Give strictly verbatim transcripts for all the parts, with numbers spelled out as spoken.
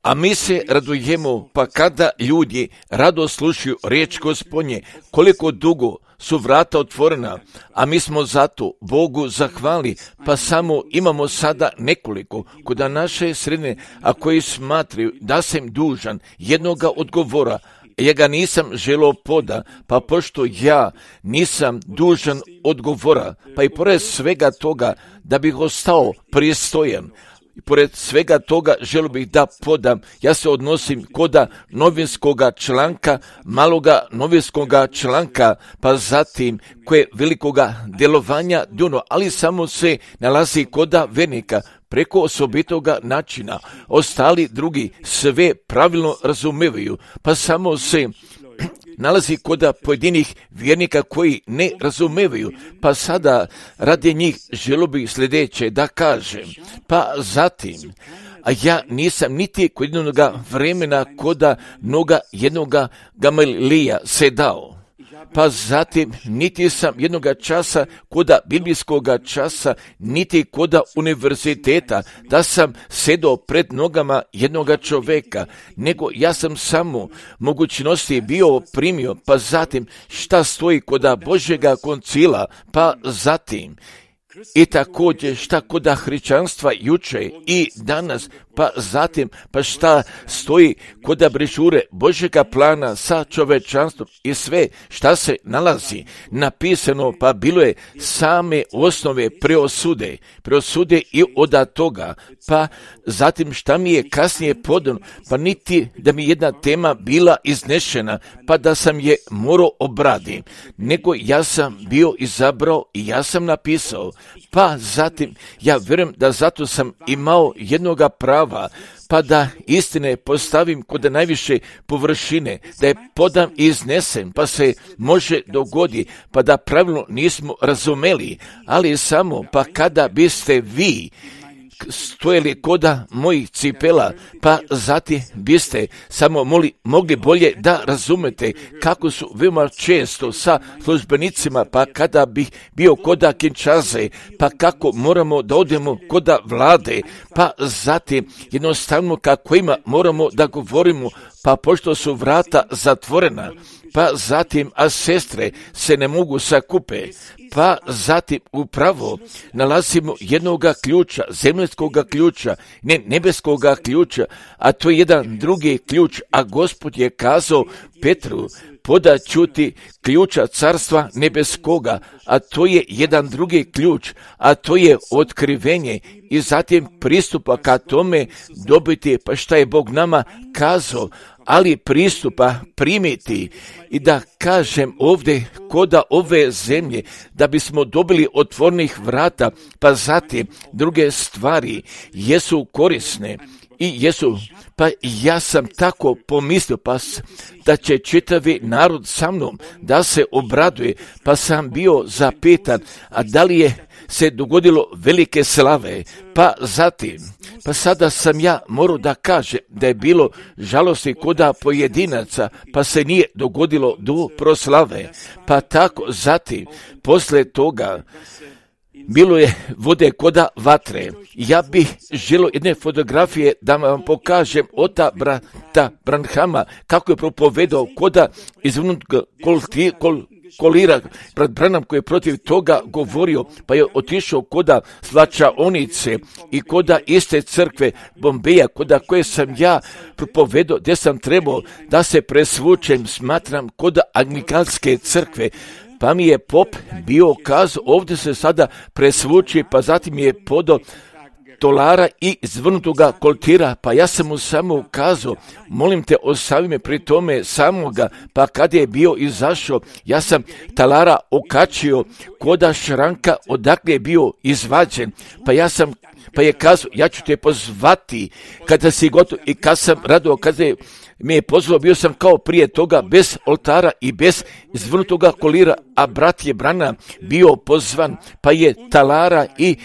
A mi se radujemo, pa kada ljudi rado slušaju riječ Gospodnje, koliko dugo su vrata otvorena, a mi smo zato Bogu zahvali, pa samo imamo sada nekoliko kod naše sredine, a koji smatraju da sam dužan jednoga odgovora. Ja ga nisam želio poda, pa pošto ja nisam dužan odgovora, pa i pored svega toga da bih ostao pristojan, i pored svega toga želio bih da podam, ja se odnosim koda novinskoga članka, maloga novinskoga članka, pa zatim koje velikoga djelovanja duno, ali samo se nalazi koda vernika, preko osobitoga načina. Ostali drugi sve pravilno razumevaju, pa samo se nalazi kod pojedinih vjernika koji ne razumevaju, pa sada radi njih želio bih sljedeće da kažem. Pa zatim, a ja nisam niti kod jednoga vremena koda noga jednoga Gamalilija se dao. Pa zatim, niti sam jednoga časa koda biblijskoga časa, niti koda univerziteta, da sam sedao pred nogama jednoga čoveka, nego ja sam samo mogućnosti bio primio, pa zatim šta stoji koda Božjega koncila, pa zatim i također šta koda hrišćanstva juče i danas, pa zatim pa šta stoji koda brešure Božjega plana sa čovečanstvom i sve šta se nalazi napisano, pa bilo je same osnove preosude, preosude i od toga, pa zatim šta mi je kasnije podano, pa niti da mi jedna tema bila iznešena, pa da sam je morao obraditi, nego ja sam bio izabrao i ja sam napisao, pa zatim ja vjerujem da zato sam imao jednoga prava, pa da istine postavim kod najviše površine, da je podam i iznesem, pa se može dogodi, pa da pravilno nismo razumeli, ali samo pa kada biste vi stojali koda mojih cipela, pa zatim biste samo moli, mogli bolje da razumete kako su veoma često sa službenicima, pa kada bih bio koda Kinčaze, pa kako moramo da odemo koda vlade, pa zatim jednostavno kako ima moramo da govorimo, pa pošto su vrata zatvorena, pa zatim a sestre se ne mogu sakupe, pa zatim upravo nalazimo jednoga ključa, zemljskoga ključa, ne nebeskoga ključa, a to je jedan drugi ključ, a Gospod je kazao Petru, podaću ti ključa carstva nebeskoga, a to je jedan drugi ključ, a to je otkrivenje i zatim pristupa ka tome dobiti, pa šta je Bog nama kazao, ali pristupa primiti i da kažem ovdje koda ove zemlje da bismo dobili otvornih vrata, pa zatim druge stvari jesu korisne i jesu, pa ja sam tako pomislio, pa da će čitavi narod sa mnom da se obraduje, pa sam bio zapitan, a da li je se dogodilo velike slave, pa zatim, pa sada sam ja morao da kažem da je bilo žalosti koda pojedinaca, pa se nije dogodilo do proslave, pa tako zatim, posle toga, bilo je vode koda vatre. Ja bih želio jedne fotografije da vam pokažem ota brata Branhama kako je propovedao koda izvrnutog kolti, kol, kolira, brat Branham koji je protiv toga govorio, pa je otišao koda slačaonice i koda iste crkve Bombeja, koda koje sam ja propovedao, gdje sam trebao da se presvučem, smatram koda anglikanske crkve. Pa mi je pop bio kazao, ovdje se sada presvuči, pa zatim je podao tolara i zvrnutoga koltira, pa ja sam mu samo ukazao, molim te ostavi me pri tome samoga, pa kad je bio izašao, ja sam talara okačio koda šranka odakle je bio izvađen, pa ja sam, pa je kazao, ja ću te pozvati kada si gotov i kad sam radao, kada je mi je pozvao, bio sam kao prije toga bez oltara i bez izvrnutoga kolira, a brat je Branham bio pozvan, pa je talara i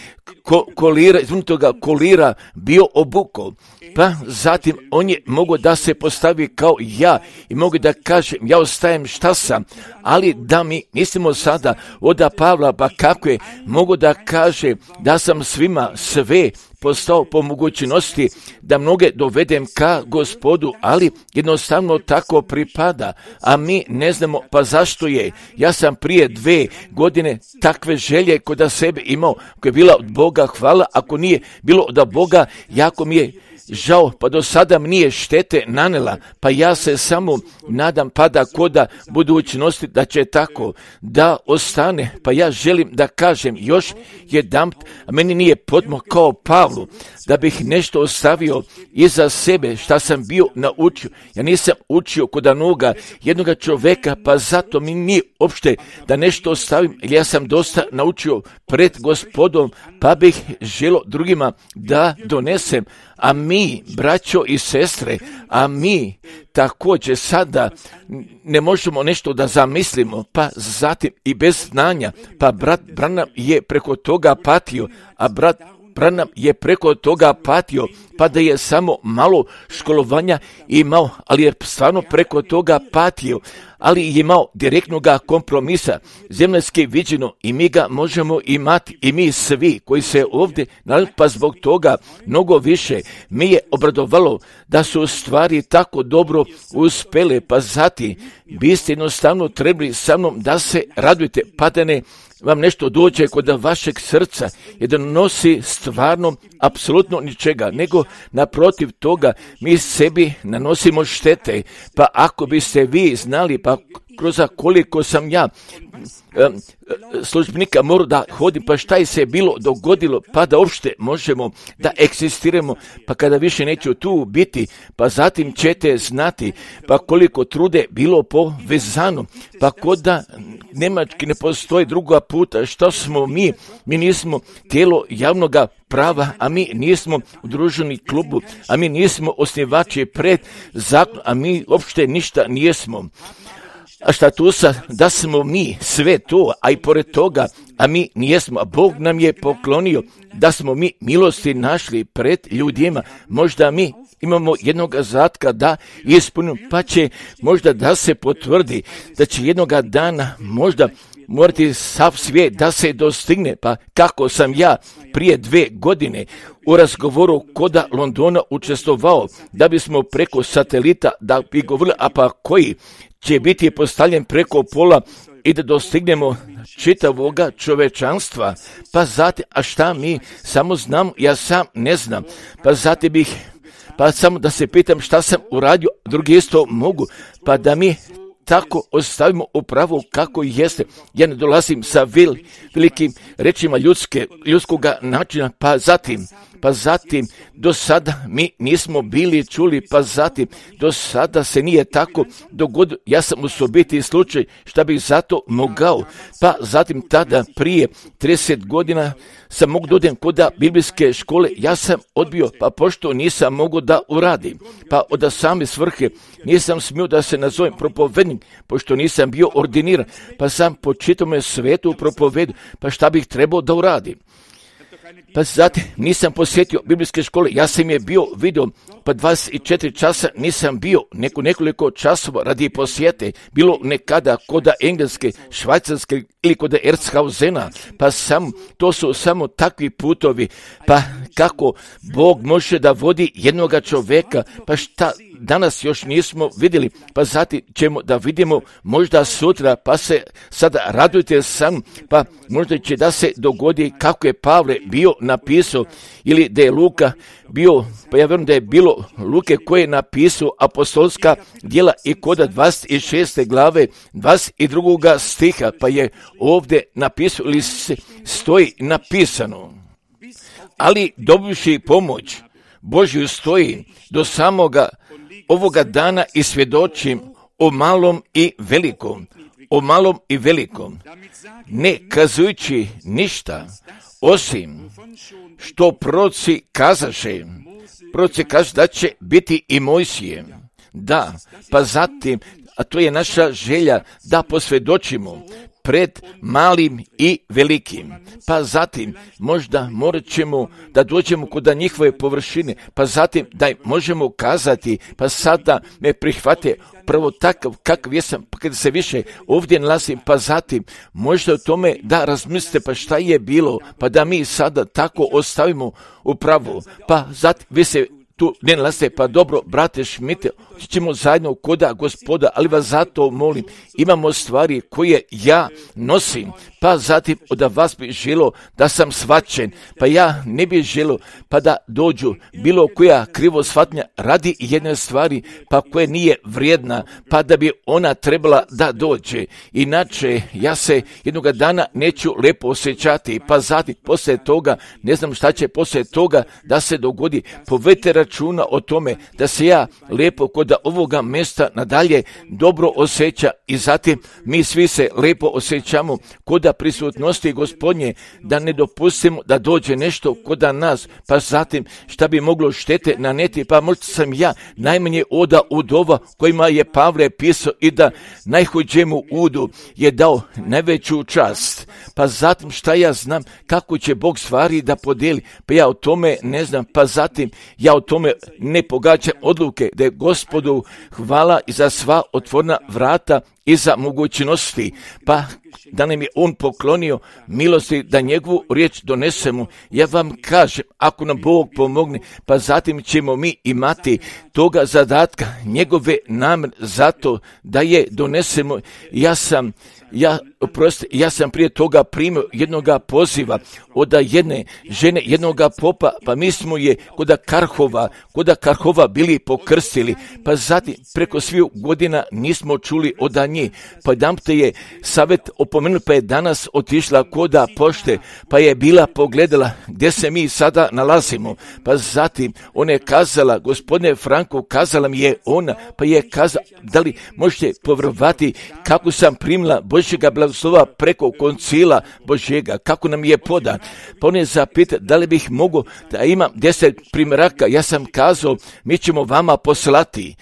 ko, kolira, izvrnutoga kolira bio obukao. Pa zatim on je mogao da se postavi kao ja i mogu da kažem, ja ostajem šta sam, ali da mi mislimo sada od Pavla, pa kako je mogu da kaže da sam svima sve dve postao po mogućnosti da mnoge dovedem ka Gospodu, ali jednostavno tako pripada, a mi ne znamo pa zašto je. Ja sam prije dve godine takve želje kod sebe imao, koja je bila od Boga, hvala, ako nije bilo od Boga, jako mi je žao, pa do sada mi nije štete nanela, pa ja se samo nadam pa da koda budućnosti da će tako da ostane, pa ja želim da kažem još jedan, a meni nije podmo kao Pavlu, da bih nešto ostavio iza sebe šta sam bio naučio. Ja nisam učio kod onoga jednoga čoveka, pa zato mi nije opšte da nešto ostavim, jer ja sam dosta naučio pred Gospodom, pa bih želo drugima da donesem. A mi, braćo i sestre, a mi također sada ne možemo nešto da zamislimo, pa zatim i bez znanja, pa brat Branham je preko toga patio, a brat Branham je preko toga patio, pa da je samo malo školovanja imao, ali je stvarno preko toga patio, ali je imao direktnog kompromisa, zemaljski viđeno, i mi ga možemo imati, i mi svi koji se ovdje, pa zbog toga mnogo više mi je obradovalo da su stvari tako dobro uspele, pa zatim biste jednostavno trebali sa mnom da se radujete, pa da ne vam nešto dođe kod vašeg srca i da nosi stvarno apsolutno ničega, nego naprotiv toga mi sebi nanosimo štete. Pa ako biste vi znali, pa kroz koliko sam ja um, službenika morao da hodim, pa šta je se bilo dogodilo, pa da uopšte možemo da egzistiramo, pa kada više neću tu biti, pa zatim ćete znati, pa koliko trude bilo povezano, pa kod da Nemački ne postoji druga puta, što smo mi, mi nismo tijelo javnoga prava, a mi nismo udruženi klubu, a mi nismo osnivači pred zakon, a mi uopšte ništa nijesmo. A šta tu sad, da smo mi sve to, a i pored toga, a mi nijesmo, a Bog nam je poklonio da smo mi milosti našli pred ljudima, možda mi imamo jednog zatka da ispunimo, pa će možda da se potvrdi da će jednoga dana možda morati sav svijet da se dostigne, pa kako sam ja prije dve godine u razgovoru koda Londona učestvovao, da bismo preko satelita da bi govorili, a pa koji će biti postavljen preko pola i da dostignemo čitavoga čovečanstva, pa zatim, a šta mi samo znam, ja sam ne znam, pa zatim bih, pa samo da se pitam šta sam uradio, drugi isto mogu, pa da mi tako ostavimo upravo kako jeste. Ja ne dolazim sa vil, velikim rečima ljudske, ljudskoga načina, pa zatim, pa zatim do sada mi nismo bili čuli, pa zatim do sada se nije tako dogodilo. Ja sam u sobiti slučaj šta bih zato mogao, pa zatim tada prije trideset godina sam mogu dodem kod biblijske škole, ja sam odbio, pa pošto nisam mogu da uradim, pa od same svrhe nisam smio da se nazovem propovednik, pošto nisam bio ordiniran, pa sam po čitome svetu propovedu, pa šta bih trebao da uradim. Pa zatim nisam posjetio biblijske škole, ja sam je bio vidio, pa dvadeset četiri časa nisam bio, neko nekoliko časova radi posjete, bilo nekada kod engleske, švajcarske ili kod Erzhausena, pa sam, to su samo takvi putovi, pa kako Bog može da vodi jednoga čoveka, pa šta danas još nismo vidjeli, pa zatim ćemo da vidimo možda sutra, pa se sada radujte sam, pa možda će da se dogodi kako je Pavle bio napisao, ili da je Luka bio, pa ja vjerujem da je bilo Luke koje je napisao apostolska djela i kod dvadeset šeste glave dvadeset drugoga stiha, pa je ovdje napisao ili stoji napisano. Ali dobivši pomoć Božju stoji do samoga ovoga dana i svjedočim o malom i velikom, o malom i velikom, ne kazujući ništa, osim što proroci kazaše, proroci kaže da će biti i Mojsije. Da, pa zatim, a to je naša želja da posvjedočimo pred malim i velikim. Pa zatim možda morat ćemo da dođemo kod njihove površine, pa zatim da im možemo kazati, pa sada me prihvate prvo takav kakav jesam, pa kada se više ovdje nalazim, pa zatim možda o tome da razmislite pa šta je bilo, pa da mi sada tako ostavimo upravo, pa zatim vi se tu ne nalazite, pa dobro, brate Šmite, ćemo zajedno koda Gospoda, ali vas zato molim, imamo stvari koje ja nosim, pa zatim od vas bi želo da sam shvaćen, pa ja ne bi želo pa da dođu bilo koja krivo shvatnja radi jedne stvari, pa koje nije vrijedna, pa da bi ona trebala da dođe. Inače, ja se jednoga dana neću lepo osjećati, pa zatim poslije toga, ne znam šta će poslije toga da se dogodi, povedite računa o tome da se ja lepo kod ovoga mjesta nadalje dobro osjeća i zatim mi svi se lepo osjećamo kod prisutnosti Gospodnje, da ne dopustimo da dođe nešto kod nas, pa zatim šta bi moglo štete naneti, pa možda sam ja najmanje oda udova kojima je Pavle pisao i da najhođemu udu je dao najveću čast, pa zatim šta ja znam kako će Bog stvari da podijeli, pa ja o tome ne znam, pa zatim ja o tome ne pogađam odluke, da je Gospodu hvala i za sva otvorena vrata i za mogućnosti, pa da nam je on poklonio milosti da njegovu riječ donesemo. Ja vam kažem, ako nam Bog pomogne, pa zatim ćemo mi imati toga zadatka, njegove namjere zato da je donesemo. Ja sam Ja, oprosti, ja sam prije toga primio jednoga poziva od jedne žene, jednoga popa, pa mi smo je kod Karhova, kod Karhova bili pokrstili, pa zatim preko svih godina nismo čuli od nje, pa dam te je savjet opomenuli, pa je danas otišla kod pošte, pa je bila pogledala gdje se mi sada nalazimo, pa zatim ona je kazala, gospodine Franko, kazala mi je ona, pa je kazala, da li možete povjerovati kako sam primila Božjega blagoslova preko koncila Božjega, kako nam je podan. Pa on je zapita da li bih mogao da imam deset primjeraka, ja sam kazao, mi ćemo vama poslati.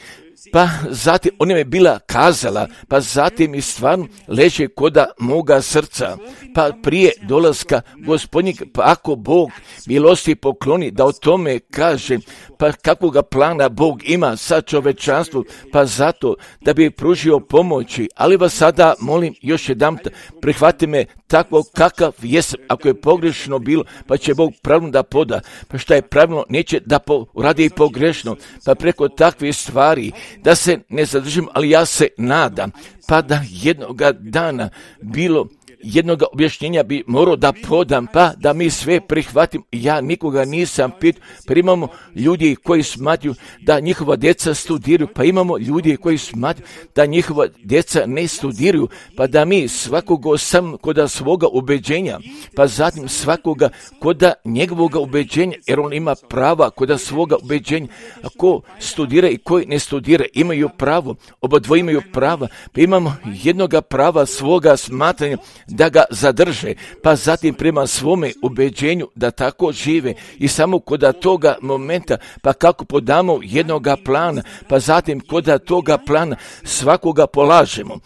Pa zatim ona je bila kazala, pa zatim i stvarno leže koda moga srca. Pa prije dolaska Gospodnjeg, pa ako Bog milosti pokloni da o tome kaže, pa kakvoga plana Bog ima sa čovečanstvom, pa zato da bi pružio pomoći. Ali vas sada molim još jednom, prihvati me tako kakav jesam, ako je pogrešno bilo, pa će Bog pravilno da poda, pa šta je pravilno neće da radi i pogrešno, pa preko takvih stvari da se ne zadržim, ali ja se nadam, pa da jednoga dana bilo jednoga objašnjenja bi morao da podam, pa da mi sve prihvatim. Ja nikoga nisam pitao, pa imamo ljudi koji smatruju da njihova djeca studiraju, pa imamo ljudi koji smatruju da njihova djeca ne studiraju, pa da mi svakoga sam koda svoga ubeđenja, pa zatim svakoga koda njegovog ubeđenja, jer on ima prava koda svoga ubeđenja. Ako studira i koji ne studira, imaju pravo, oba dvoje imaju prava, pa imamo jednoga prava svoga smatranja da ga zadrže, pa zatim prema svome ubeđenju da tako žive i samo kod toga momenta, pa kako podamo jednoga plana, pa zatim kod toga plana svakoga polažemo.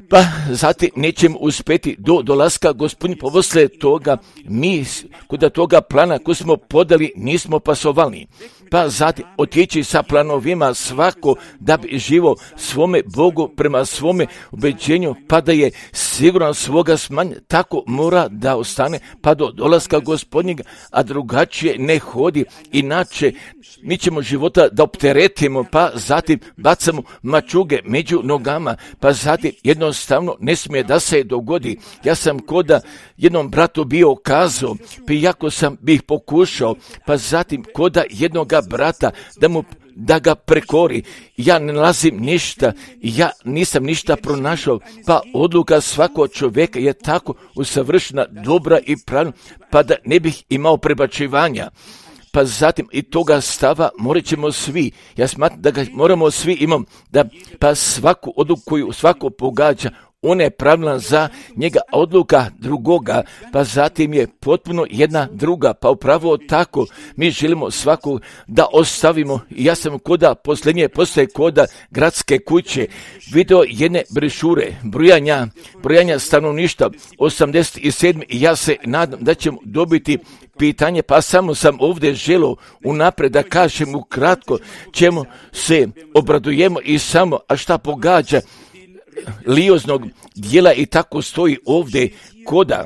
Pa zatim nećemo uspjeti do dolaska Gospodnje, pa poslije toga mi kod toga plana koji smo podali nismo pasovali. Pa zatim otići sa planovima svako da bi živo svome Bogu prema svome ubeđenju, pa da je siguran svoga smanja, tako mora da ostane pa do dolaska Gospodnjega, a drugačije ne hodi. Inače mi ćemo života da opteretimo, pa zatim bacamo mačuge među nogama, pa zatim jednostavno ne smije da se dogodi. Ja sam koda jednom bratu bio kazao, pa iako sam bih pokušao, pa zatim koda jednoga brata da mu da ga prekori, ja ne nalazim ništa, ja nisam ništa pronašao, pa odluka svakog čovjeka je tako usavršena, dobra i pravilna, pa da ne bih imao prebačivanja. Pa zatim i toga stava morat ćemo svi, ja smatram da ga moramo svi imamo, da pa svaku odluku koju svako pogađa, on je pravilan za njega, odluka drugoga, pa zatim je potpuno jedna druga, pa upravo tako mi želimo svakog da ostavimo. Ja sam koda posljednje postoje koda gradske kuće video jedne brešure, brojanja, brojanja stanovništva osamdeset sedam i ja se nadam da ćemo dobiti pitanje, pa samo sam ovdje želio unaprijed da kažem ukratko čemu se obradujemo i samo, a šta pogađa lioznog dijela i tako stoji ovdje koda.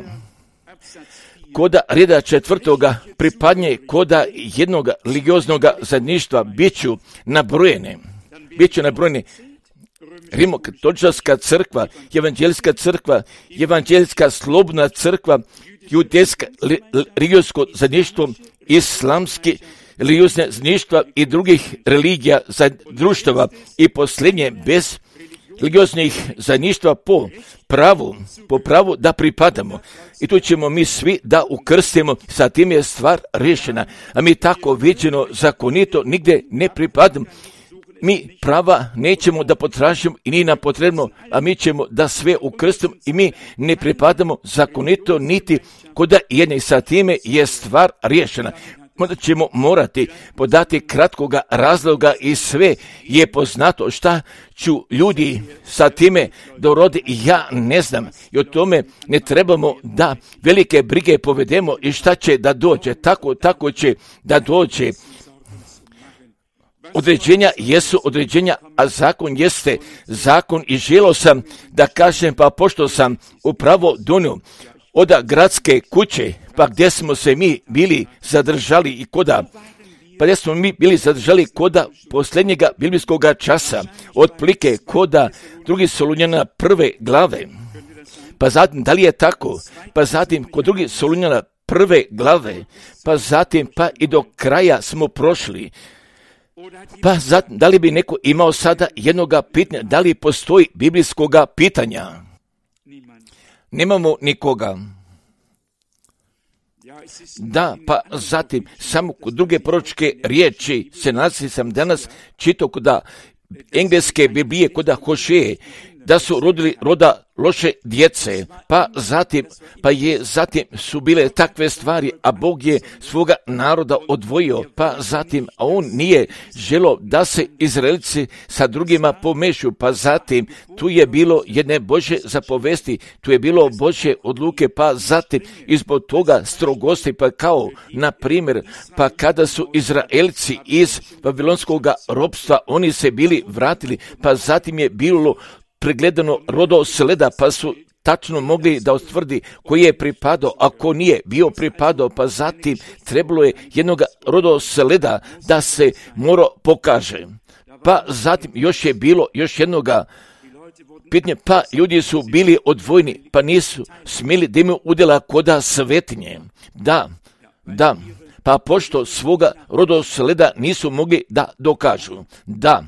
Koda reda četvrtoga pripadnje koda jednog ligioznog zajedništva biću nabrojene. Biću nabrojene Rimokatolička crkva, evanđeljska crkva, evanđeljska slobodna crkva, judejska religijsko zajedništvo, islamski religiozne zajedništva i drugih religija za društava i posljednje bez religioznih zajedništva po pravu, po pravu da pripadamo. I tu ćemo mi svi da ukrstimo, sa tim je stvar rješena, a mi tako viđeno zakonito nigdje ne pripadamo. Mi prava nećemo da potražimo i nije nam potrebno, a mi ćemo da sve ukrstimo i mi ne pripadamo zakonito niti koda jedne i sa time je stvar riješena. Onda ćemo morati podati kratkoga razloga i sve je poznato šta ću ljudi sa time dorodi i ja ne znam. I o tome ne trebamo da velike brige povedemo i šta će da dođe. Tako, tako će da dođe. Određenja jesu određenja, a zakon jeste zakon i želio sam da kažem, pa pošto sam upravo donio od gradske kuće, pa gdje smo se mi bili zadržali i koda, pa gdje smo mi bili zadržali koda posljednjega biblijskog časa, otplike koda drugi Solunjana prve glave, pa zatim, da li je tako, pa zatim kod drugi Solunjana prve glave, pa zatim pa i do kraja smo prošli. Pa zatim, da li bi neko imao sada jednoga pitanja, da li postoji biblijskoga pitanja? Nemamo nikoga. Da, pa zatim, samo kod druge proročke riječi se nalazi sam danas čitao kod engleske Biblije, kod Hošeje, da su rodili roda loše djece, pa zatim, pa je zatim su bile takve stvari, a Bog je svoga naroda odvojio, pa zatim, a on nije želio da se Izraelci sa drugima pomešu, pa zatim tu je bilo jedne Božje zapovesti, tu je bilo Božje odluke, pa zatim izbog toga strogosti, pa kao, na primjer, pa kada su Izraelci iz babilonskog ropstva, oni se bili vratili, pa zatim je bilo pregledano rodosleda, pa su tačno mogli da utvrdi koji je pripadao, a ko nije bio pripadao, pa zatim trebalo je jednog rodosleda da se mora pokaže. Pa zatim još je bilo još jednoga pitanja, pa ljudi su bili odvojeni, pa nisu smjeli da imaju udjela koda svetinje. Da, da, pa pošto svoga rodosleda nisu mogli da dokažu. Da,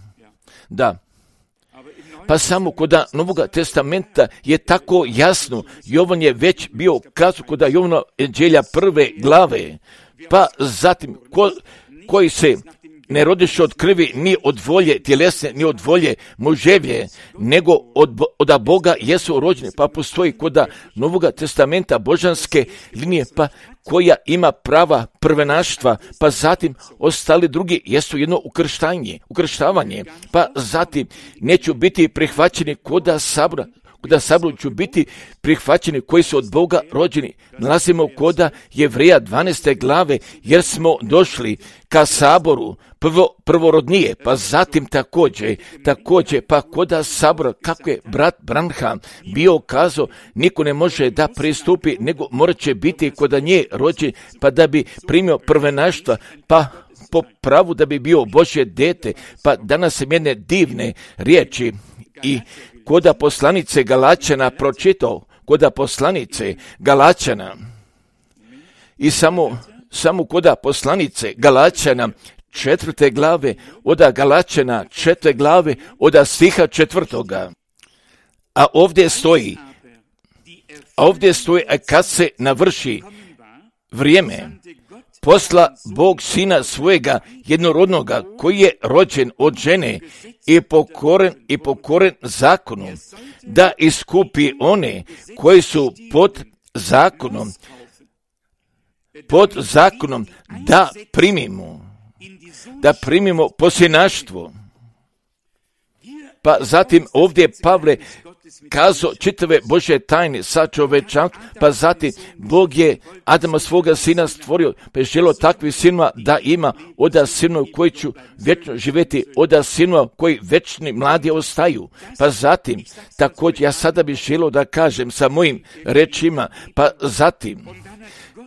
da. Pa samo kod Novog testamenta je tako jasno, Jovan je već bio kazao kod Jovana evanđelja prve glave, pa zatim ko, koji se ne rodiše od krvi ni od volje tjelesne, ni od volje muževje, nego od, od Boga jesu rođeni, pa postoji kod Novog testamenta božanske linije, pa koja ima prava prvenaštva, pa zatim ostali drugi jesu jedno ukrštanje, ukrštavanje, pa zatim neću biti prihvaćeni kod sabora, kod saboru ću biti prihvaćeni koji su od Boga rođeni. Nalazimo kod Jevreja dvanaeste glave, jer smo došli ka saboru prvo, prvorodnije, pa zatim također, također, pa kod sabora, kako je brat Branham bio kazao, niko ne može da pristupi, nego morat će biti kod nje rođen, pa da bi primio prvenaštva, pa po pravu da bi bio Božje dete, pa danas sam jedne divne riječi i koda poslanice Galačana pročitao, koda poslanice Galačana i samo, samo koda poslanice Galačana četvrte glave, oda Galačana četvrte glave, oda stiha četvrtoga. A ovdje stoji, a ovdje stoji, a kad se navrši vrijeme, posla Bog sina svojega jednorodnoga, koji je rođen od žene i pokoren i pokoren zakonu, da iskupi one koji su pod zakonom, pod zakonom, da primimo, da primimo posjenaštvo. Pa zatim ovdje Pavle kazao čitave Božje tajne sa čovečanstvom, pa zatim Bog je Adama svoga sina stvorio, pa je želio takvih sinova da ima, oda sinova koji će vječno živjeti, oda sinova koji večni mladi ostaju. Pa zatim, također ja sada bih želio da kažem sa mojim rečima, pa zatim,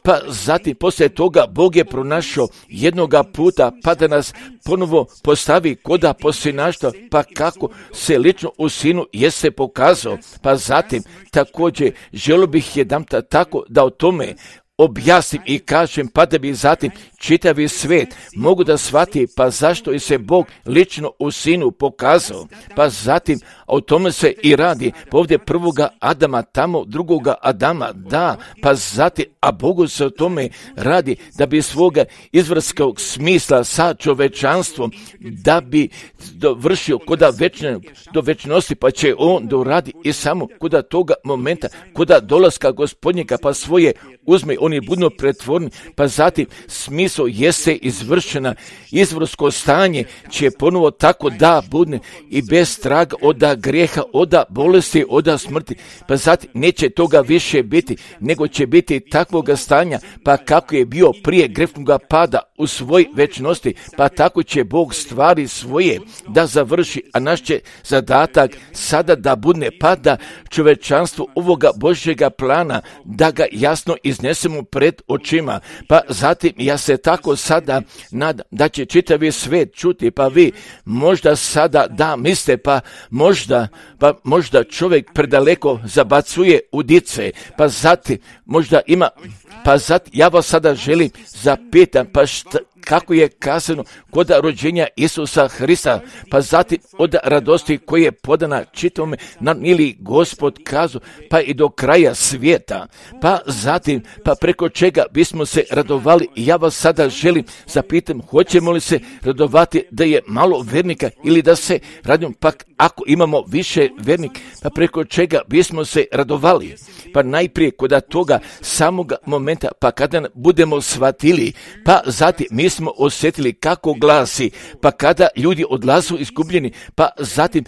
Pa zatim, poslije toga, Bog je pronašao jednoga puta, pa da nas ponovo postavi koda posjenaštva, pa kako se lično u sinu jeste pokazao. Pa zatim, također, želio bih jedanputa tako da o tome objasnim i kažem, pa da bi zatim čitavi svijet mogu da shvati, pa zašto je se Bog lično u sinu pokazao. Pa zatim, o tome se i radi, pa ovdje prvoga Adama, tamo drugoga Adama, da, pa zatim, a Bogu se o tome radi, da bi svoga izvrskog smisla sa čovečanstvom, da bi dovršio koda večne, do večnosti, pa će on doradi i samo koda toga momenta, koda dolaska Gospodnjega, pa svoje uzme, oni budu pretvorni, pa zatim smisao jeste izvršena, izvrsko stanje će ponovo tako da budne i bez traga oda grijeha, oda bolesti, oda smrti, pa zatim neće toga više biti, nego će biti takvoga stanja, pa kako je bio prije grešnoga pada u svoj večnosti, pa tako će Bog stvari svoje da završi, a naš će zadatak sada da budne, pa da čovečanstvo ovoga Božjega plana, da ga jasno iznesemo pred očima. Pa zatim ja se tako sada nadam da će čitavi svijet čuti, pa vi možda sada da mislite, pa možda, pa možda čovjek predaleko zabacuje udice, pa zatim možda ima, pa zatim ja vas sada želim zapitam, pa šta, kako je kazano kod rođenja Isusa Hrista, pa zatim od radosti koje je podana čitavome nam ili Gospod kazu, pa i do kraja svijeta, pa zatim, pa preko čega bismo se radovali. Ja vas sada želim zapitam, hoćemo li se radovati da je malo vernika ili da se radimo, pa ako imamo više vernika, pa preko čega bismo se radovali. Pa najprije kod toga samoga momenta, pa kada budemo shvatili, pa zatim mi smo osjetili kako glasi, pa kada ljudi odlazu izgubljeni, pa zatim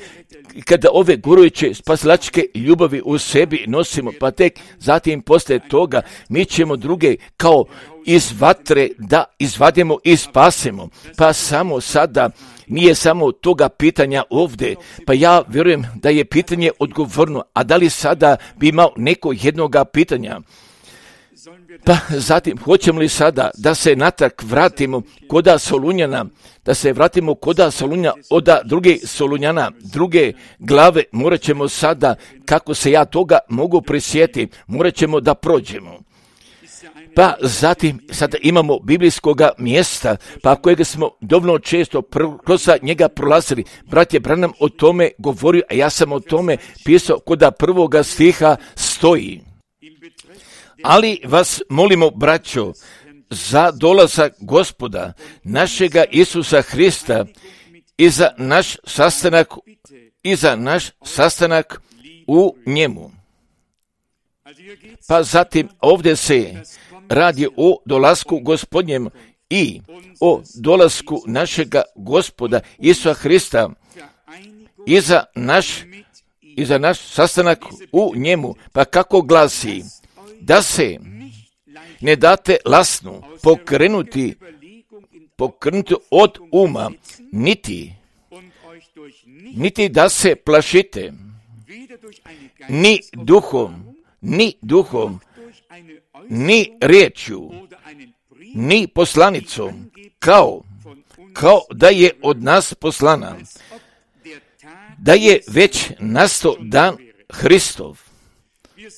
kada ove gurujuće spasilačke ljubavi u sebi nosimo, pa tek zatim poslije toga mi ćemo druge kao iz vatre da izvadimo i spasemo. Pa samo sada nije samo toga pitanja ovdje, pa ja vjerujem da je pitanje odgovorno, a da li sada bi imao neko jednoga pitanja? Pa zatim, hoćemo li sada da se natrag vratimo koda Solunjana, da se vratimo koda Solunja od druge Solunjana, druge glave, morat ćemo sada, kako se ja toga mogu prisjetiti, morat ćemo da prođemo. Pa zatim, sada imamo biblijskoga mjesta, pa kojega smo dovoljno često kroz njega prolazili. Brat je Branham o tome govorio, a ja sam o tome pisao koda prvoga stiha stoji. Ali vas molimo, braćo, za dolazak Gospoda, našega Isusa Hrista i za naš sastanak, i za naš sastanak u njemu. Pa zatim ovdje se radi o dolasku Gospodnjem i o dolasku našega Gospoda Isusa Hrista i za naš, i za naš sastanak u njemu. Pa kako glasi? Da se ne date lasnu pokrenuti, pokrenuti od uma, niti, niti da se plašite, ni duhom, ni duhom, ni riječju, ni poslanicom, kao, kao da je od nas poslana, da je već nastao dan Hristov.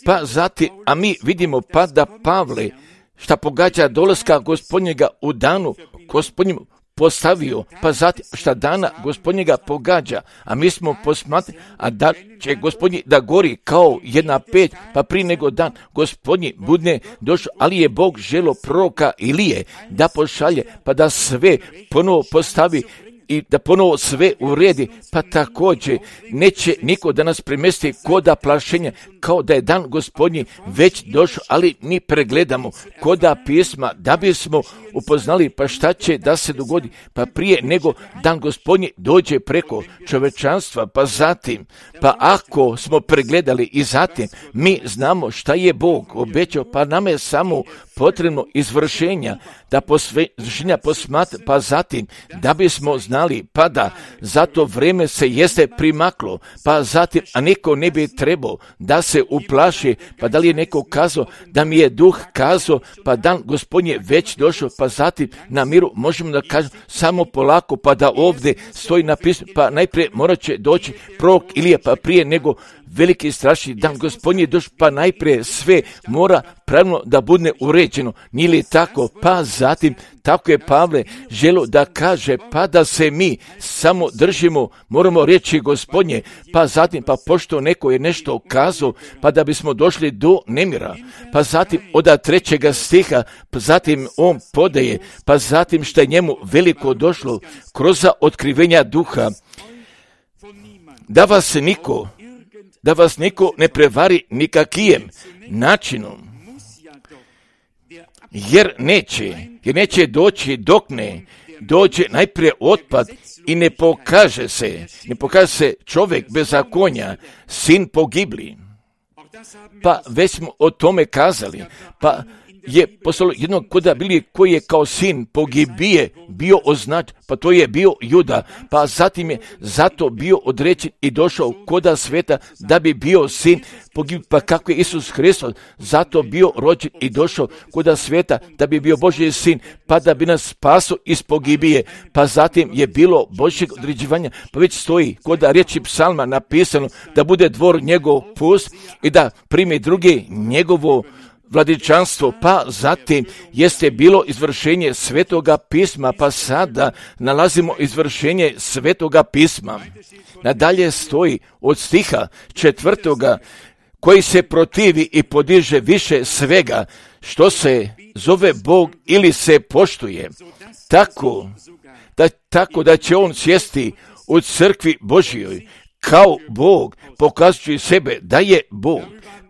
Pa zatim, a mi vidimo pa da Pavle, šta pogađa dolaska Gospodnjega u danu Gospodnjem postavio, pa zatim šta dana Gospodnjega pogađa, a mi smo posmatrali, a da će Gospodnji da gori kao jedna peć, pa prije nego dan Gospodnji budne došao, ali je Bog želo proroka Ilije da pošalje, pa da sve ponovo postavi i da ponovo sve uredi, pa također neće niko da nas premesti koda plašenja, kao da je dan Gospodnji već došao, ali mi pregledamo koda pisma da bismo upoznali pa šta će da se dogodi, pa prije nego dan Gospodnji dođe preko čovečanstva, pa zatim, pa ako smo pregledali i zatim mi znamo šta je Bog obećao, pa nam je samo potrebno izvršenja, da posvršenja posmatra, pa zatim da bismo znali, pa da zato vrijeme se jeste primaklo, pa zatim, a niko ne bi trebao da se uplaši, pa da li je neko kazao da mi je duh kazao, pa dan Gospodnji je već došao, pa zatim na miru možemo da kažemo samo polako, pa da ovdje stoji napisano, pa najprije morat će doći prorok Ilija, pa prije nego veliki strašni dan Gospodnji je došao, pa najprije sve mora pravilno da bude uređeno. Nije li tako? Pa zatim, tako je Pavle želio da kaže, pa da se mi samo držimo, moramo reći Gospodnje, pa zatim, pa pošto neko je nešto kazao, pa da bismo došli do nemira, pa zatim od trećega stiha, pa zatim on podaje, pa zatim što je njemu veliko došlo kroz otkrivenja duha, da vas niko da vas niko ne prevari nikakijem načinom, jer neće, jer neće doći dok ne dođe najprije otpad i ne pokaže se, ne pokaže se čovjek bezakonja, sin pogibli. Pa već smo o tome kazali, pa je poslalo jednog koda bili koji je kao sin pogibije bio označen, pa to je bio Juda, pa zatim je zato bio određen i došao koda sveta da bi bio sin pogibije, pa kako je Isus Hristos zato bio rođen i došao koda sveta da bi bio Božji sin, pa da bi nas spasao iz pogibije, pa zatim je bilo Božjeg određivanja, pa već stoji koda riječi psalma napisano da bude dvor njegov pust i da primi drugi njegovo vladičanstvo, pa zatim jeste bilo izvršenje Svetoga pisma, pa sada nalazimo izvršenje Svetoga pisma. Nadalje stoji od stiha četvrtoga, koji se protivi i podiže više svega što se zove Bog ili se poštuje, tako da, tako da će on sjesti u crkvi Božjoj kao Bog, pokazujući sebe da je Bog.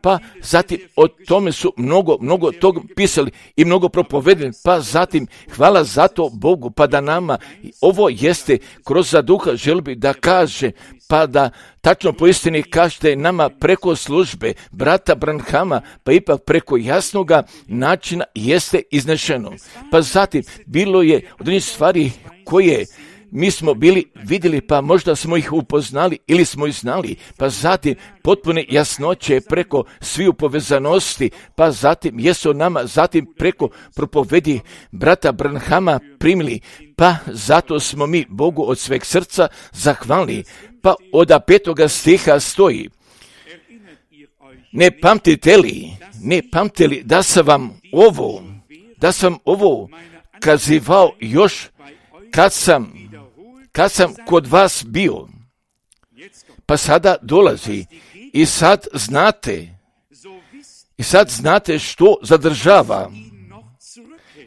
Pa zatim o tome su mnogo, mnogo toga pisali i mnogo propovedeni, pa zatim hvala za to Bogu, pa da nama ovo jeste kroz za duha želbi da kaže, pa da tačno po istini kažete nama preko službe brata Branhama, pa ipak preko jasnoga načina jeste iznešeno. Pa zatim bilo je određenih stvari koje mi smo bili vidjeli, pa možda smo ih upoznali ili smo ih znali, pa zatim potpune jasnoće preko sviju povezanosti, pa zatim jesu nama zatim preko propovedi brata Branhama primili, pa zato smo mi Bogu od sveg srca zahvalni. Pa od petoga stiha stoji, ne pamtite li, ne pamtite li da sam vam ovo, da sam ovo kazivao još kad sam kad sam kod vas bio, pa sada dolazi i sad znate, i sad znate što zadržava,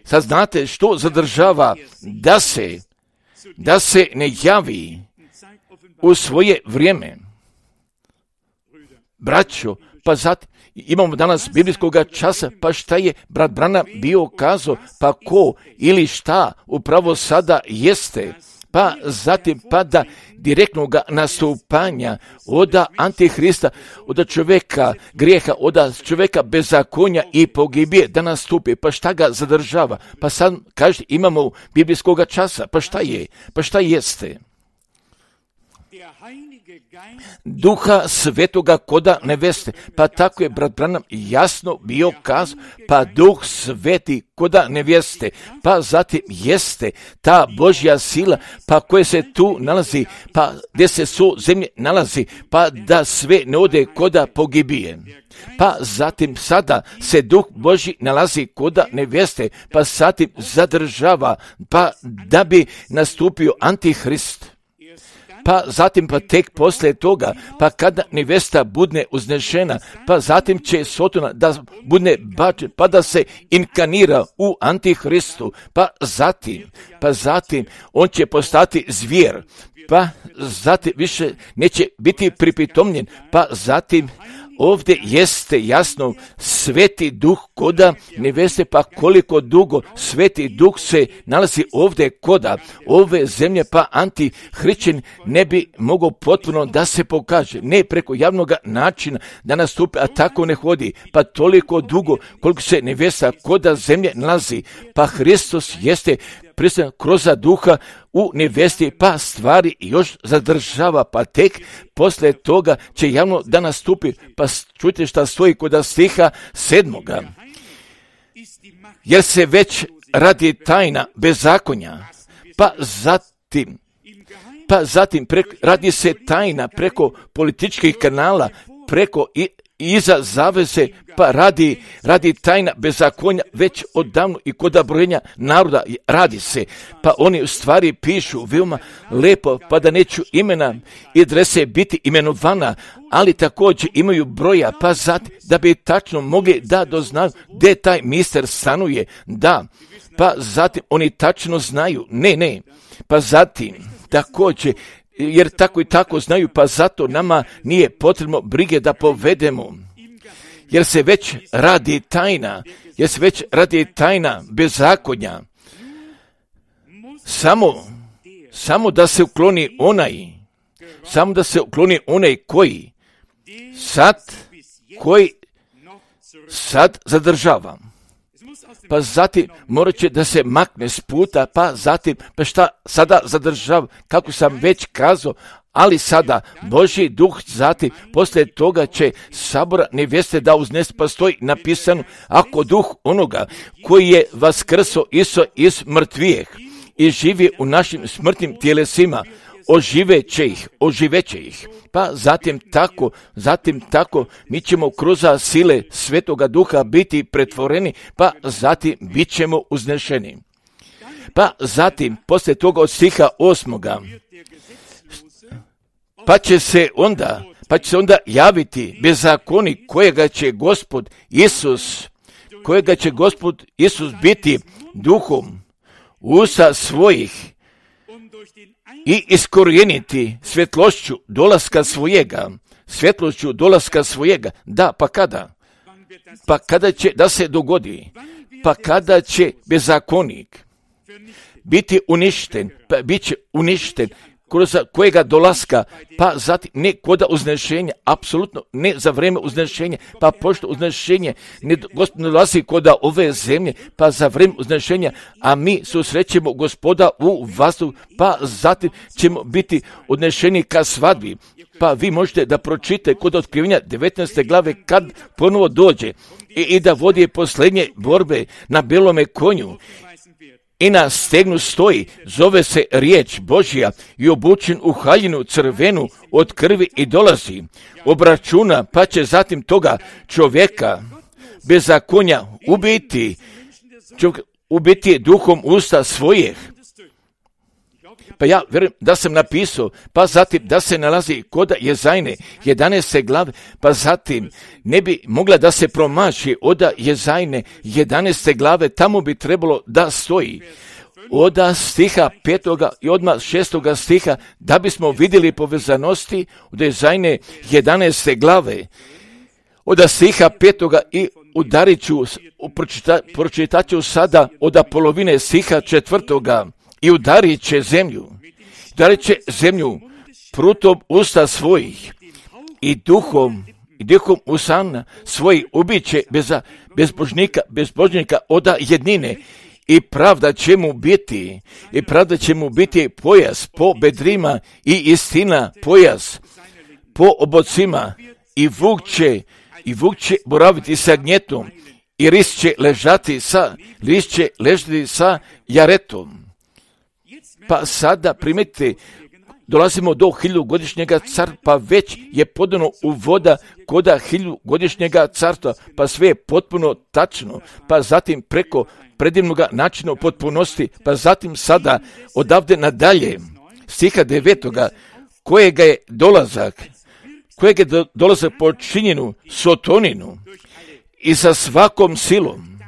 sad znate što zadržava da se, da se ne javi u svoje vrijeme. Braćo, pa zatim imamo danas biblijskog časa, pa šta je brat Branham bio kazao, pa ko ili šta upravo sada jeste, pa zatim pada direktnog nastupanja od Antihrista, od čovjeka grijeha, od čovjeka bezakonja i pogibije da nastupi. Pa šta ga zadržava? Pa sad kaže imamo biblijskog časa, pa šta je? Pa šta jeste? Duha Svetoga koda neveste. Pa tako je brat Branham jasno bio kazao, pa Duh Sveti koda neveste. Pa zatim jeste ta Božja sila, pa koje se tu nalazi, pa gdje se su zemlje nalazi, pa da sve ne ode koda pogibije. Pa zatim sada se Duh Božji nalazi koda neveste, pa zatim zadržava, pa da bi nastupio Antihrist. Pa zatim pa tek poslije toga, pa kada nevesta budne uznešena, pa zatim će Sotona da budne bačen, pa da se inkarnira u Antihristu, pa zatim, pa zatim on će postati zvijer, pa zatim više neće biti pripitomljen, pa zatim ovdje jeste jasno Sveti Duh koda neveste, pa koliko dugo Sveti Duh se nalazi ovdje koda ove zemlje, pa Antihrišćan ne bi mogao potpuno da se pokaže, ne preko javnog načina da nastupi, a tako ne hodi, pa toliko dugo koliko se nevesta koda zemlje nalazi, pa Hristos jeste prisutan kroz duha u nevesti, pa stvari još zadržava, pa tek poslije toga će javno da nastupi, pa čujte šta stoji kod stiha sedmoga. Jer se već radi tajna bezakonja, pa zatim, pa zatim preko, radi se tajna preko političkih kanala, preko i iza zavese, pa radi, radi tajna bezakonja već odavno i kod brojenja naroda radi se, pa oni u stvari pišu veoma lepo, pa da neću imena i adrese biti imenovana, ali također imaju broja, pa zatim da bi tačno mogli da doznaju gdje taj mister stanuje, da, pa zatim oni tačno znaju, ne, ne, pa zatim također, jer tako i tako znaju, pa zato nama nije potrebno brige da povedemo. Jer se već radi tajna, jer se već radi tajna bezakonja. Samo, samo da se ukloni onaj, samo da se ukloni onaj koji sad, koji sad zadržava. Pa zatim morat će da se makne s puta, pa zatim, pa šta sada zadržava, kako sam već kazao, ali sada Božji Duh zatim, poslije toga će sabora nevjeste da uznese, pa stoji napisano, ako Duh onoga koji je vaskrso Iso iz mrtvijeh i živi u našim smrtnim tjelesima, oživeće ih, oživeće ih. Pa zatim tako, zatim tako, mi ćemo kroz sile Svetoga Duha biti pretvoreni, pa zatim bit ćemo uznešeni. Pa zatim, poslije toga od stiha osmoga, pa će se onda, pa će se onda javiti bezakonik kojega će Gospod Isus, kojega će Gospod Isus biti duhom usta svojih i iskorijeniti svjetlošću dolaska svojega, svjetlošću dolaska svojega. Da, pa kada? Pa kada će da se dogodi? Pa kada će bezakonik biti uništen, pa bit će uništen kroz kojega dolaska, pa zatim ne koda uznešenja, apsolutno ne za vrijeme uznešenja, pa pošto uznešenje ne, Gospod dolazi koda ove zemlje, pa za vrijeme uznešenja, a mi susrećemo Gospoda u vazduhu, pa zatim ćemo biti odnešeni ka svadbi. Pa vi možete da pročitate kod otkrivenja devetnaeste glave kad ponovo dođe i, i da vodi posljednje borbe na belome konju. I na stegnu stoji, zove se riječ Božja i obučen u haljinu crvenu od krvi i dolazi. Obračuna, pa će zatim toga čovjeka bezakonja ubiti, čovjek, ubiti duhom usta svojih. Pa ja vjerujem da sam napisao, pa zatim da se nalazi kod Jezajne jedanaeste glave, pa zatim ne bi mogla da se promaši od Jezajne jedanaeste glave, tamo bi trebalo da stoji od stiha petoga i odmah šestoga stiha, da bismo vidjeli povezanosti od Jezajne jedanaeste glave, od stiha petoga i udarit ću, pročita, pročitat ću sada od polovine stiha četvrtoga. I udarit će zemlju, udarit će zemlju prutom usta svojih i duhom, i duhom usana svojih ubiće bez bezbožnika, bezbožnika od jednine i pravda će mu biti, i pravda će mu biti pojas po bedrima i istina pojas po obocima i vuk će, i vuk će boraviti sa gnjetom i ris će ležati sa, ris će ležati sa jaretom. Pa sada primetite, dolazimo do hiljugodišnjega carstva, pa već je podano u voda koda hiljugodišnjega carstva, pa sve je potpuno tačno, pa zatim preko predivnoga načina potpunosti, pa zatim sada odavde nadalje, stiha devetoga, kojega je dolazak, kojeg je dolazak počinjenu sotoninu i sa svakom silom,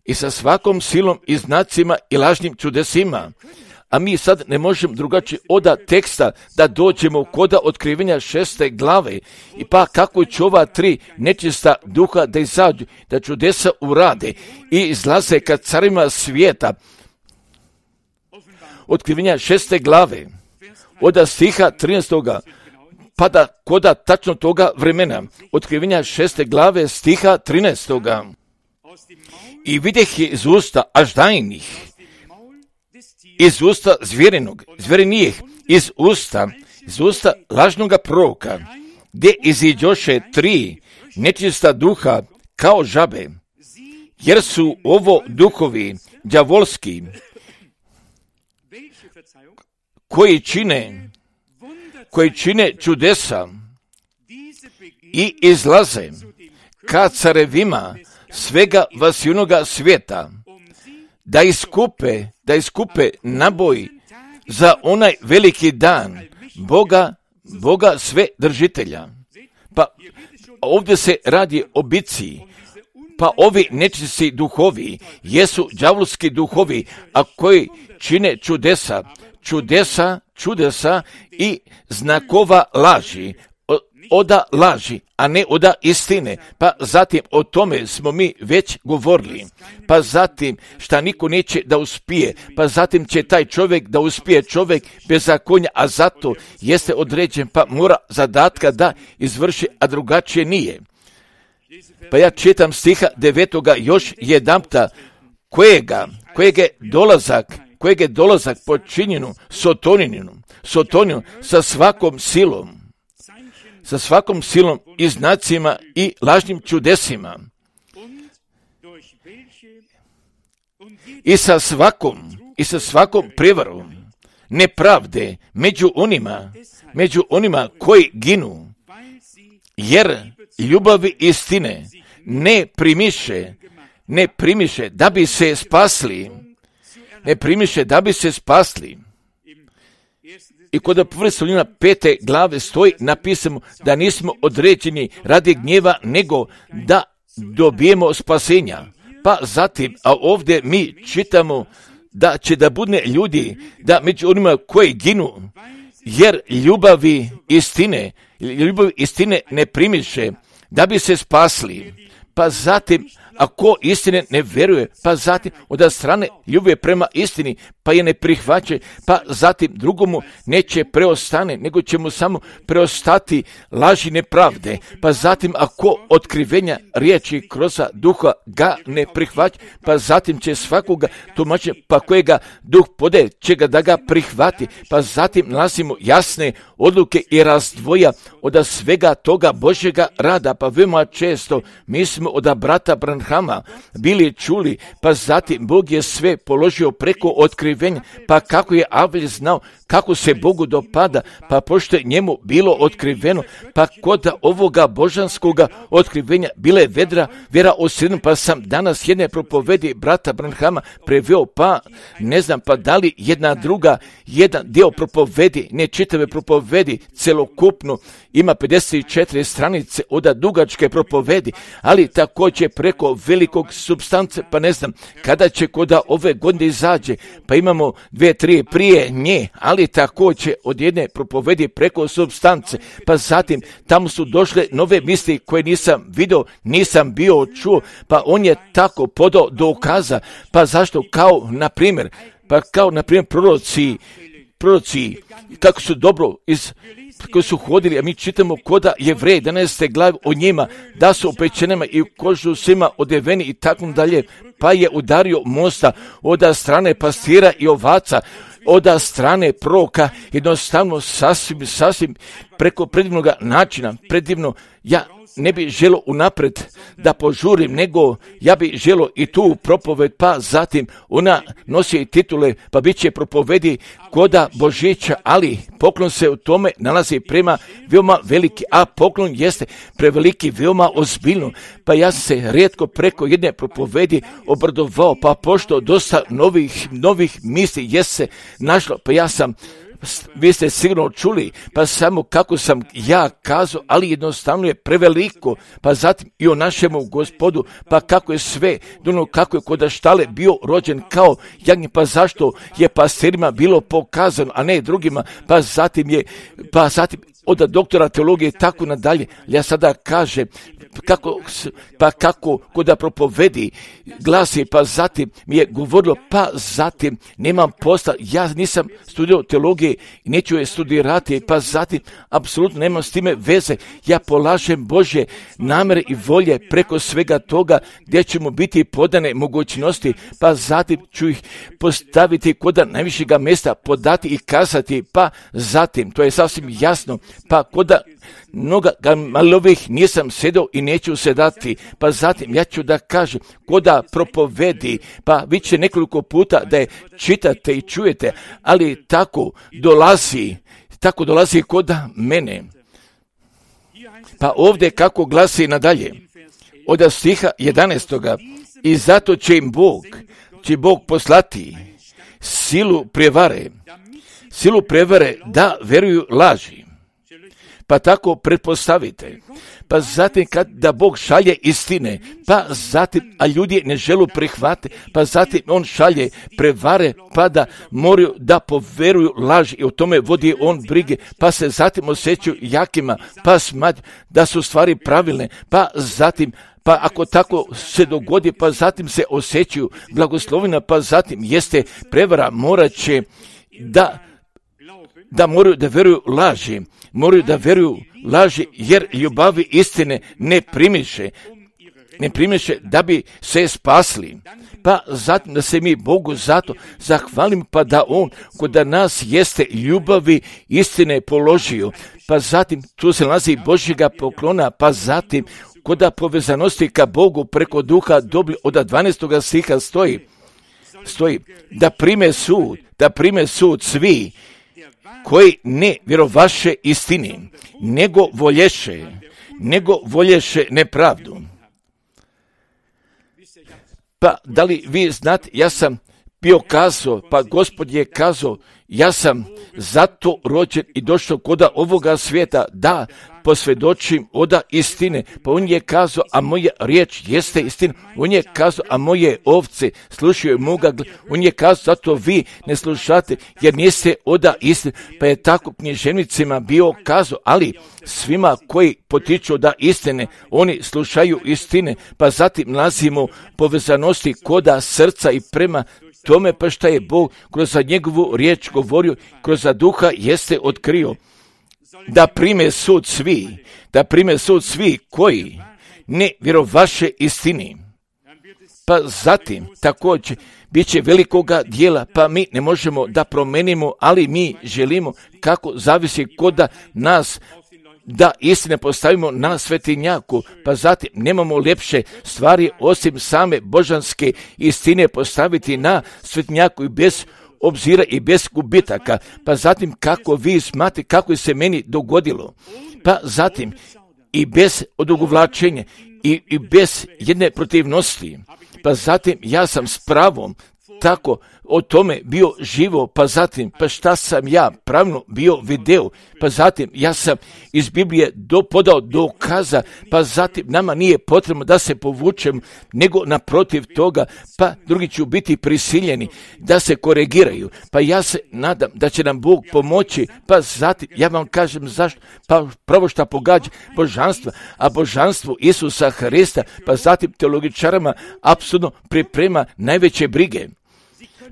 i sa svakom silom i znacima i lažnim čudesima. A mi sad ne možemo drugačije oda teksta da dođemo koda otkrivenja šeste glave. I pa kako će ova tri nečista duha da izađu, da čudesa urade i izlaze ka carima svijeta. Otkrivenja šeste glave, oda stiha trinaestoga, pa da koda tačno toga vremena. Otkrivenja šeste glave stiha trinaestoga. I vidjeh je iz usta aždajnih, iz usta zvjerinog, zvjerinijih, iz usta, iz usta lažnoga proroka, gdje iziđoše tri nečista duha kao žabe, jer su ovo duhovi đavolski, koji čine, koji čine čudesa i izlaze ka carevima svega vasjunoga svijeta, da iskupe, da iskupe naboj za onaj veliki dan Boga, Boga sve držitelja. Pa ovdje se radi o bici, pa ovi nečisti duhovi jesu đavolski duhovi, a koji čine čudesa, čudesa, čudesa i znakova laži, oda laži, a ne oda istine. Pa zatim o tome smo mi već govorili. Pa zatim šta niko neće da uspije, pa zatim će taj čovjek da uspije, čovjek bez zakonja, a zato jeste određen, pa mora zadatka da izvrši, a drugačije nije. Pa ja čitam stiha devetoga još jedanputa, kojega, kojeg je dolazak, kojeg je dolazak počinjenu sotoninu, sotoninu sa svakom silom, sa svakom silom i znacima i lažnim čudesima i sa svakom i sa svakom prevarom nepravde među onima među onima koji ginu, jer ljubavi istine ne primiše ne primiše da bi se spasli ne primiše da bi se spasli. I kod prve Solunjana pete glave stoji napisano da nismo određeni radi gnjeva, nego da dobijemo spasenja. Pa zatim, a ovdje mi čitamo da će da budne ljudi, da među onima koji ginu, jer ljubavi istine, ljubavi istine ne primiše da bi se spasli. Pa zatim, ako istine ne vjeruje, pa zatim od strane ljubavi prema istini, pa je ne prihvaća, pa zatim drugomu neće preostane, nego će mu samo preostati laži nepravde. Pa zatim ako otkrivenja riječi kroz duha ga ne prihvaća, pa zatim će svakoga tumačenja, pa kojega duh pode, će ga da ga prihvati. Pa zatim nalazimo jasne odluke i razdvoja od svega toga Božjega rada. Pa veoma često mi smo od brata Branhama bili čuli, pa zatim Bog je sve položio preko otkrivenja, pa kako je Abel znao kako se Bogu dopada, pa pošto je njemu bilo otkriveno, pa kod ovoga božanskoga otkrivenja bile vedra, vjera osredno, pa sam danas jedne propovedi brata Branhama preveo, pa ne znam, pa da li jedna druga, jedan dio propovedi, ne čitave propovedi, celokupno, ima pedeset četiri stranice od dugačke propovedi, ali također preko velikog supstance, pa ne znam, kada će koda ove godine izađe, pa imamo dve, tri prije nje, ali također od jedne propovedi preko supstance, pa zatim tamo su došle nove misli koje nisam vidio, nisam bio čuo, pa on je tako podao dokaza, pa zašto, kao na primjer, pa kao na primjer proroci, proroci, kako su dobro iz koji su hodili, a mi čitamo koda Jevreji jedanaeste glave o njima, da su opečenima i u kožu svima odeveni i tako dalje, pa je udario mosta od strane pastira i ovaca, od strane proroka, jednostavno sasvim, sasvim preko predivnog načina, predivno. Ja ne bi želo unapred da požurim, nego ja bi želo i tu propoved, pa zatim ona nosi i titule, pa bit će propovedi koda Božića, ali poklon se u tome nalazi prema veoma veliki, a poklon jeste preveliki, veoma ozbiljno. Pa ja sam se rijetko preko jedne propovedi obradovao, pa pošto dosta novih, novih misli je se našlo, pa ja sam, vi ste sigurno čuli, pa samo kako sam ja kazao, ali jednostavno je preveliko, pa zatim i o našemu Gospodu, pa kako je sve, ono kako je kod štale bio rođen kao jagnje, pa zašto je pastirima bilo pokazano, a ne drugima, pa zatim je, pa zatim od doktora teologije tako nadalje. Ja sada kažem, kako, pa kako kod propovedi glasi, pa zatim mi je govorilo, pa zatim nemam posla, ja nisam studirao teologije i neću je studirati, pa zatim apsolutno nemam s time veze, ja polažem Božje namere i volje preko svega toga gdje ćemo biti podane mogućnosti, pa zatim ću ih postaviti kod najvišega mjesta, podati i kazati, pa zatim, to je sasvim jasno, pa kod mnoga malovih nisam sedao i neću sedati, pa zatim ja ću da kažem, koda propovedi, pa vi će nekoliko puta da je čitate i čujete, ali tako dolazi, tako dolazi koda mene. Pa ovdje kako glasi nadalje, od stiha jedanaestoga, i zato će im Bog, će Bog poslati silu prevare, silu prevare da veruju laži. Pa tako pretpostavite, pa zatim kad da Bog šalje istine, pa zatim, a ljudi ne želu prihvatiti, pa zatim on šalje prevare, pa da moraju da poveruju laži i o tome vodi on brige, pa se zatim osjećaju jakima, pa smatruju da su stvari pravilne, pa zatim, pa ako tako se dogodi, pa zatim se osjećaju blagoslovina, pa zatim jeste prevara, morat će da da moraju da veruju laži, moraju da veruju laži, jer ljubavi istine ne primiše, ne primiše da bi se spasli. Pa zatim da se mi Bogu zato zahvalim, pa da on kod nas jeste ljubavi istine položio, pa zatim tu se nalazi Božjega poklona, pa zatim kod povezanosti ka Bogu preko duha dobri od dvanaestoga stiha stoji, stoji da prime sud, da prime sud svi koji ne vjerovaše istini, nego volješe, nego volješe nepravdu. Pa da li vi znate, ja sam bio kazao, pa Gospod je kazao, ja sam zato rođen i došao koda ovoga svijeta da posvjedočim oda istine. Pa on je kazao, a moja riječ jeste istina. On je kazao, a moje ovce slušaju moga. On je kazao, zato vi ne slušate jer niste oda istine. Pa je tako književnicima bio kazao, ali svima koji potiču da istine, oni slušaju istine. Pa zatim nalazimo povezanosti koda srca i prema tome, pa šta je Bog kroz njegovu riječ govorio, kroz duha jeste otkrio. Da prime sud svi, da prime sud svi koji ne vjerovaše istini. Pa zatim također bit će velikoga dijela, pa mi ne možemo da promenimo, ali mi želimo kako zavisi koda nas da istine postavimo na svetinjaku, pa zatim nemamo ljepše stvari osim same božanske istine postaviti na svetinjaku i bez obzira i bez gubitaka, pa zatim kako vi smatrate kako se meni dogodilo, pa zatim i bez odugovlačenja i, i bez jedne protivnosti, pa zatim ja sam s pravom tako o tome bio živo, pa zatim, pa šta sam ja pravno bio video, pa zatim ja sam iz Biblije do, podao dokaza, pa zatim nama nije potrebno da se povučem, nego naprotiv toga, pa drugi će biti prisiljeni da se korigiraju, pa ja se nadam da će nam Bog pomoći, pa zatim ja vam kažem zašto, pa pravo šta pogađa božanstva, a božanstvo Isusa Hrista, pa zatim teologičarama apsolutno priprema najveće brige.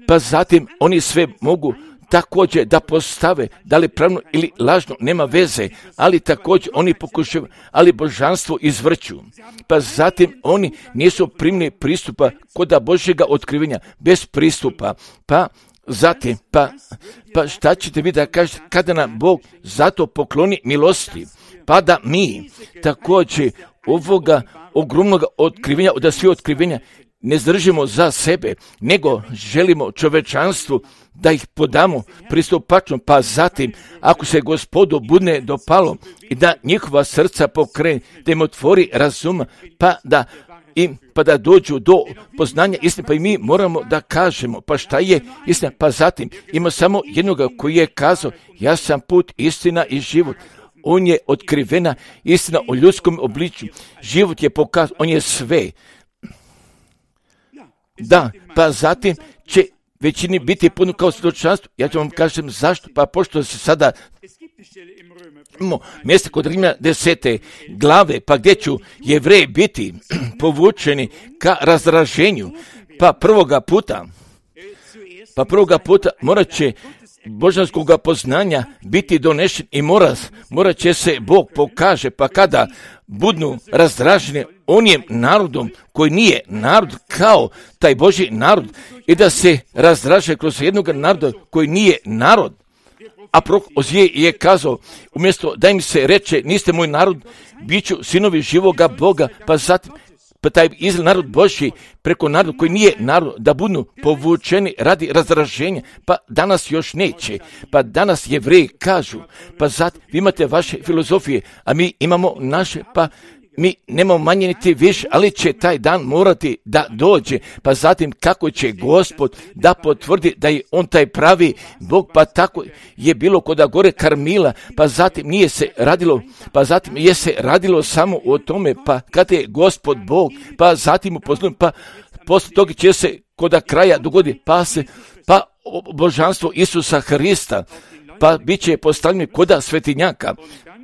Pa zatim oni sve mogu također da postave, da li pravno ili lažno, nema veze, ali također oni pokušaju, ali božanstvo izvrću. Pa zatim oni nisu primili pristupa kod Božjega otkrivenja, bez pristupa, pa zatim, pa, pa šta ćete vi da kažete kada nam Bog zato pokloni milosti, pa da mi također ovoga ogromnog otkrivenja, od svih otkrivenja ne zdržimo za sebe, nego želimo čovečanstvu da ih podamo pristupačno, pa zatim, ako se Gospodu budne dopalo i da njihova srca pokrene, da im otvori razuma, pa da im, pa da dođu do poznanja istine, pa i mi moramo da kažemo, pa šta je istina, pa zatim ima samo jednoga koji je kazao, ja sam put, istina i život. On je otkrivena istina o ljudskom obličju. Život je pokazan, on je sve. Da, pa zatim će većini biti puno kao svjedočanstvo. Ja ću vam kažem zašto, pa pošto se sada imamo mjesto kod Rimljana desete glave, pa gdje ću Jevreji biti povučeni ka razdraženju, pa prvoga puta, pa prvoga puta morat će božanskog poznanja biti donešen i mora, morat će se Bog pokaže, pa kada budnu razdraženi onim narodom koji nije narod kao taj Božji narod i da se razdraže kroz jednog naroda koji nije narod. A prorok Ozije je kazao, umjesto da im se reče, niste moj narod, bit ću sinovi živoga Boga, pa zatim, pa taj Izrael, narod Božji, preko naroda koji nije narod, da budu povučeni radi razdraženja, pa danas još neće, pa danas Jevreji kažu, pa zatim vi imate vaše filozofije, a mi imamo naše, pa mi nemamo manje niti više, ali će taj dan morati da dođe, pa zatim kako će Gospod da potvrdi da je on taj pravi Bog, pa tako je bilo kod gore Karmila, pa zatim nije se radilo, pa zatim je se radilo samo o tome, pa kada je Gospod Bog, pa zatim upoznao, pa posle toga će se kod kraja dogoditi, pa se, pa božanstvo Isusa Hrista, pa bit će postavljeno kod svetinjaka,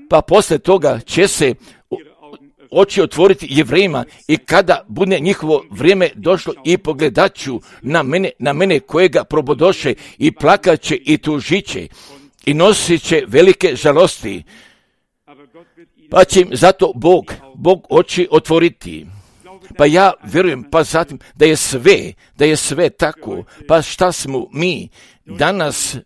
pa posle toga će se oči otvoriti Jevrejima i kada bude njihovo vrijeme došlo i pogledaću na mene, na mene kojega probodoše i plakaće i tužiće i nosit će velike žalosti, pa će im zato Bog, Bog oči otvoriti. Pa ja vjerujem, pa zatim da je sve, da je sve tako, pa šta smo mi danas,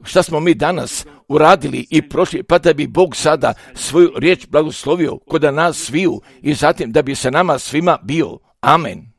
šta smo mi danas uradili i prošli, pa da bi Bog sada svoju riječ blagoslovio kod nas sviju i zatim da bi se nama svima bio. Amen.